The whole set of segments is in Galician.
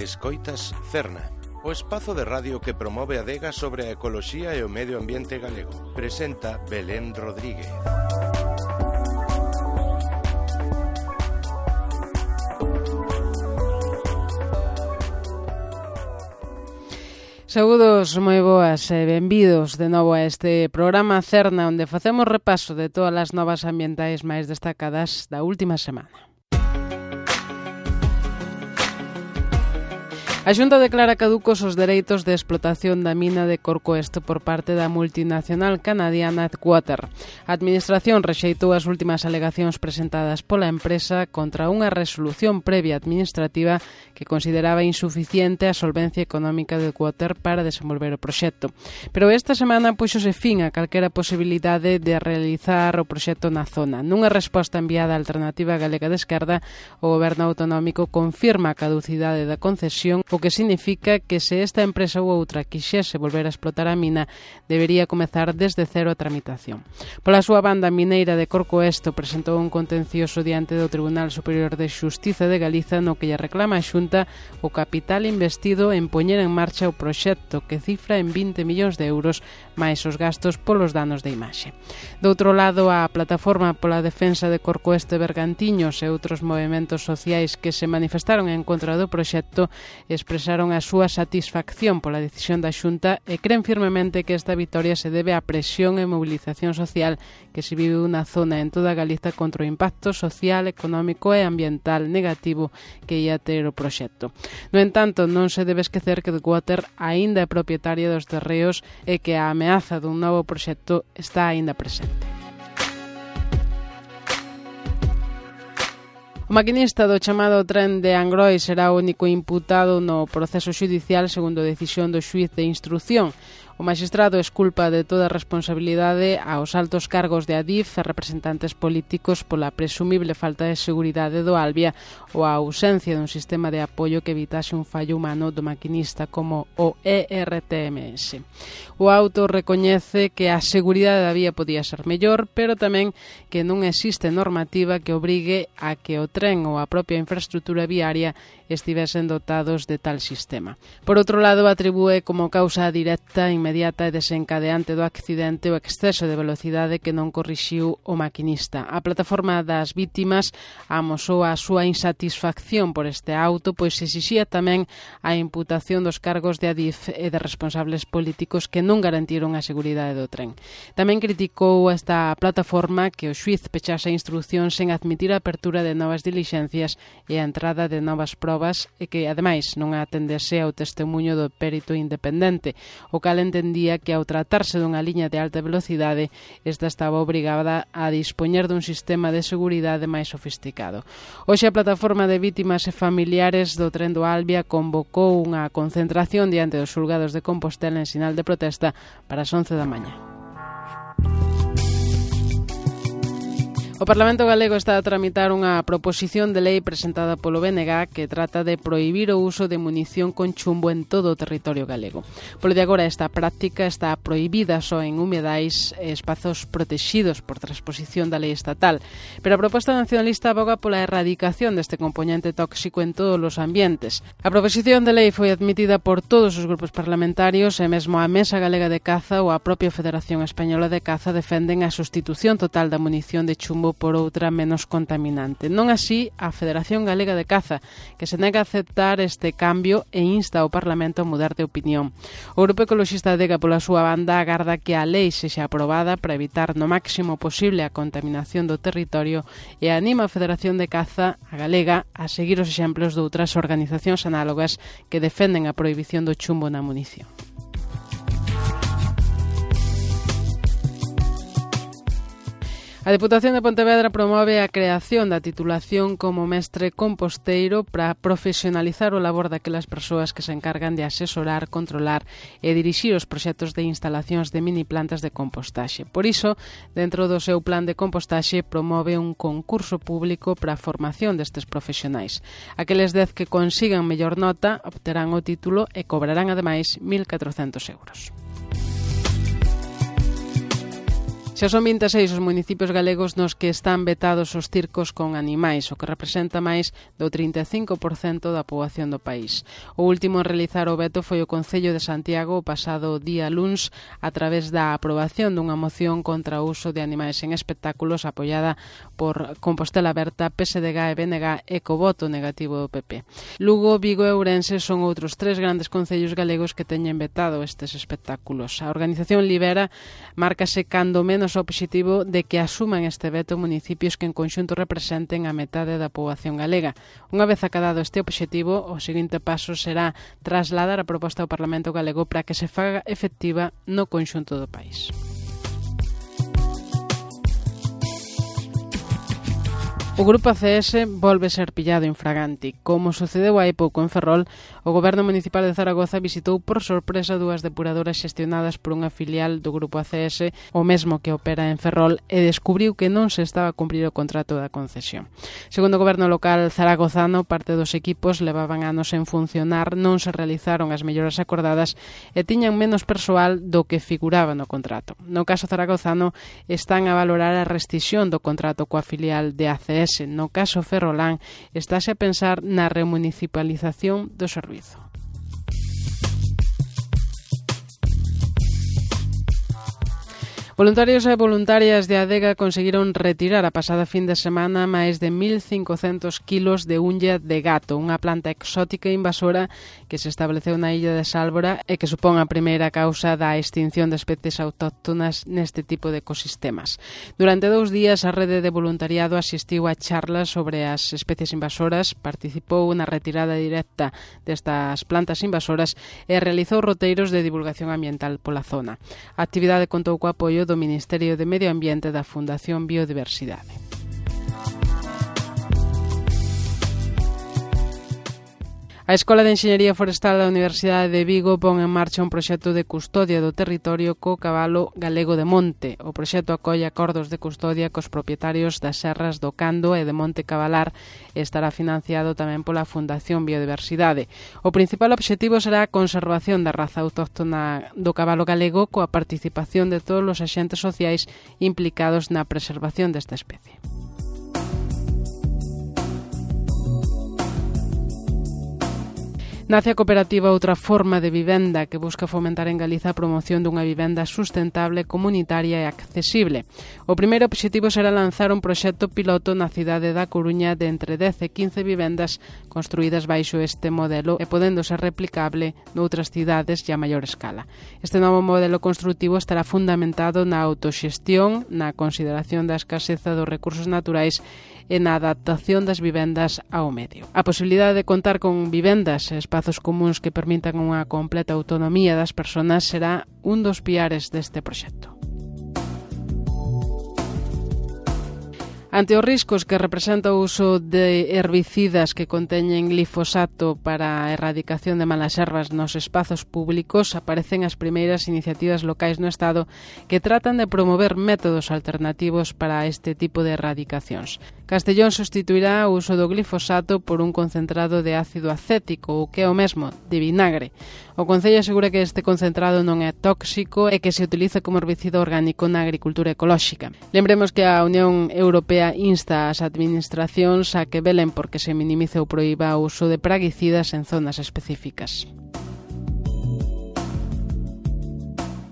Escoitas Cerna, o espazo de radio que promove a adega sobre a ecoloxía e o medio ambiente galego. Presenta Belén Rodríguez. Saúdos moi boas e benvidos de novo a este programa Cerna, onde facemos repaso de todas as novas ambientais máis destacadas da última semana. A Xunta declara caducos os dereitos de explotación da mina de Corcoesto por parte da multinacional canadiana Headwater. A Administración rexeitou as últimas alegacións presentadas pola empresa contra unha resolución previa administrativa que consideraba insuficiente a solvencia económica de Headwater para desenvolver o proxecto. Pero esta semana puxose fin a calquera posibilidade de realizar o proxecto na zona. Nunha resposta enviada á Alternativa Galega de Esquerda, o Goberno Autonómico confirma a caducidade da concesión, o que significa que se esta empresa ou outra quixese volver a explotar a mina, debería comezar desde cero a tramitación. Pola súa banda, a mineira de Corcoesto presentou un contencioso diante do Tribunal Superior de Xustiza de Galiza no que lle reclama a Xunta o capital investido en poñer en marcha o proxecto, que cifra en 20 millóns de euros máis os gastos polos danos de imaxe. Do outro lado, a Plataforma pola Defensa de Corcoesto e Bergantiños e outros movementos sociais que se manifestaron en contra do proxecto expresaron a súa satisfacción pola decisión da Xunta e creen firmemente que esta vitoria se debe á presión e mobilización social que se vive na zona en toda Galiza contra o impacto social, económico e ambiental negativo que ia ter o proxecto. No entanto, non se debe esquecer que Headwater aínda é propietaria dos terreos e que a ameaza dun novo proxecto está aínda presente. O maquinista do chamado tren de Angrois será o único imputado no proceso xudicial segundo a decisión do xuíz de instrución. O magistrado esculpa de toda a responsabilidade aos altos cargos de Adif e representantes políticos pola presumible falta de seguridade do Albia ou a ausencia dun sistema de apoio que evitase un fallo humano do maquinista como o ERTMS. O auto recoñece que a seguridade da vía podía ser mellor, pero tamén que non existe normativa que obrigue a que o tren ou a propia infraestructura viaria estivesen dotados de tal sistema. Por outro lado, atribúe como causa directa, inmediata e desencadeante do accidente o exceso de velocidade que non corrixiu o maquinista. A plataforma das vítimas amosou a súa insatisfacción por este auto, pois exixía tamén a imputación dos cargos de Adif e de responsables políticos que non garantiron a seguridade do tren. Tamén criticou esta plataforma que o xuíz pechase a instrucción sen admitir a apertura de novas dilixencias e a entrada de novas probas e que, ademais, non atendese ao testemunho do perito independente, o cal entendía que ao tratarse dunha liña de alta velocidade, esta estaba obrigada a dispoñer dun sistema de seguridade máis sofisticado. Hoxe a plataforma de vítimas e familiares do tren do Albia convocou unha concentración diante dos xulgados de Compostela en sinal de protesta para as 11 da mañá. O Parlamento Galego está a tramitar unha proposición de lei presentada polo BNG que trata de prohibir o uso de munición con chumbo en todo o territorio galego. Polo de agora, esta práctica está prohibida só en humedais e espazos protexidos por transposición da lei estatal, pero a proposta nacionalista aboga pola erradicación deste componente tóxico en todos os ambientes. A proposición de lei foi admitida por todos os grupos parlamentarios e mesmo a Mesa Galega de Caza ou a propia Federación Española de Caza defenden a sustitución total da munición de chumbo por outra menos contaminante. Non así a Federación Galega de Caza, que se nega a aceptar este cambio e insta ao Parlamento a mudar de opinión. O Grupo Ecoloxista Adega, pola súa banda, agarda que a lei sexa aprobada para evitar no máximo posible a contaminación do territorio e anima a Federación de Caza, a galega, a seguir os exemplos de outras organizacións análogas que defenden a prohibición do chumbo na munición. A Deputación de Pontevedra promove a creación da titulación como mestre composteiro para profesionalizar o labor daquelas persoas que se encargan de asesorar, controlar e dirixir os proxectos de instalacións de mini plantas de compostaxe. Por iso, dentro do seu plan de compostaxe, promove un concurso público para a formación destes profesionais. Aqueles 10 que consigan mellor nota obterán o título e cobrarán ademais 1.400 euros. Xa son 26 os municipios galegos nos que están vetados os circos con animais, o que representa máis do 35% da poboación do país. O último en realizar o veto foi o Concello de Santiago o pasado día luns a través da aprobación dunha moción contra o uso de animais en espectáculos apoiada por Compostela Aberta, PSDG e BNG e co voto negativo do PP. Lugo, Vigo e Ourense son outros 3 grandes concellos galegos que teñen vetado estes espectáculos. A organización Libera márcase cando menos o obxectivo de que asuman este veto municipios que en conxunto representen a metade da poboación galega. Unha vez acadado este obxectivo, o seguinte paso será trasladar a proposta ao Parlamento galego para que se faga efectiva no conxunto do país. O grupo ACS volve ser pillado infraganti. Como sucedeu hai pouco en Ferrol, o Goberno Municipal de Zaragoza visitou por sorpresa 2 depuradoras xestionadas por unha filial do grupo ACS, o mesmo que opera en Ferrol, e descubriu que non se estaba a cumprir o contrato da concesión. Segundo o Goberno local zaragozano, parte dos equipos levaban anos en funcionar, non se realizaron as melloras acordadas e tiñan menos persoal do que figuraba no contrato. No caso zaragozano, están a valorar a rescisión do contrato coa filial de ACS. No caso ferrolán, estáse a pensar na remunicipalización do servizo. Voluntarios e voluntarias de Adega conseguiron retirar a pasada fin de semana máis de 1.500 kilos de unlla de gato, unha planta exótica e invasora que se estableceu na illa de Sálvora e que supón a primeira causa da extinción de especies autóctonas neste tipo de ecosistemas. Durante 2 días, a rede de voluntariado asistiu a charlas sobre as especies invasoras, participou na retirada directa destas plantas invasoras e realizou roteiros de divulgación ambiental pola zona. A actividade contou co apoio do Ministerio de Medio Ambiente da Fundación Biodiversidade. A Escola de Enxeñería Forestal da Universidade de Vigo pon en marcha un proxecto de custodia do territorio co cabalo galego de monte. O proxecto acolle acordos de custodia cos propietarios das serras do Cando e de Monte Cabalar e estará financiado tamén pola Fundación Biodiversidade. O principal obxectivo será a conservación da raza autóctona do cabalo galego coa participación de todos os axentes sociais implicados na preservación desta especie. Nace a cooperativa Outra Forma de Vivenda que busca fomentar en Galiza a promoción dunha vivenda sustentable, comunitaria e accesible. O primeiro obxectivo será lanzar un proxecto piloto na cidade da Coruña de entre 10 e 15 vivendas construídas baixo este modelo e podendo ser replicable noutras cidades e a maior escala. Este novo modelo construtivo estará fundamentado na autoxestión, na consideración da escaseza dos recursos naturais e na adaptación das vivendas ao medio. A posibilidade de contar con vivendas e espazos comuns que permitan unha completa autonomía das persoas será un dos piares deste proxecto. Ante os riscos que representa o uso de herbicidas que conteñen glifosato para a erradicación de malas ervas nos espazos públicos, aparecen as primeiras iniciativas locais no Estado que tratan de promover métodos alternativos para este tipo de erradicacións. Castellón sustituirá o uso do glifosato por un concentrado de ácido acético, o que é o mesmo, de vinagre. O Concello asegura que este concentrado non é tóxico e que se utiliza como herbicida orgánico na agricultura ecolóxica. Lembremos que a Unión Europea insta ás administracións a que velen porque se minimice ou proíba o uso de praguicidas en zonas específicas.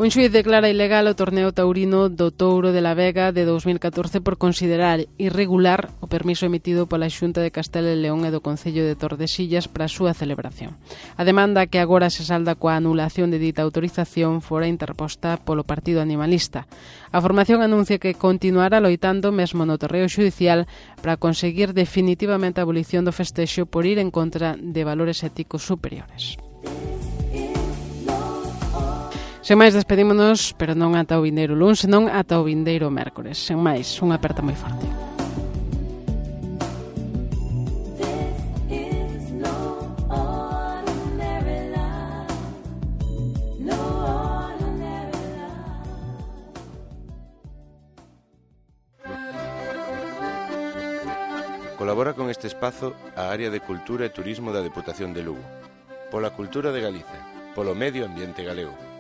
Un xuíz declara ilegal o torneo taurino do Touro de la Vega de 2014 por considerar irregular o permiso emitido pola Xunta de Castela e León e do Concello de Tordesillas para a súa celebración. A demanda que agora se salda coa anulación de dita autorización fora interposta polo Partido Animalista. A formación anuncia que continuará loitando mesmo no terreo xudicial para conseguir definitivamente a abolición do festexo por ir en contra de valores éticos superiores. Sen máis, despedímonos, pero non ata o vindeiro luns, senón ata o vindeiro mércores. Sen máis, unha aperta moi forte. Colabora con este espazo a Área de Cultura e Turismo da Deputación de Lugo. Pola cultura de Galiza, polo medio ambiente galego.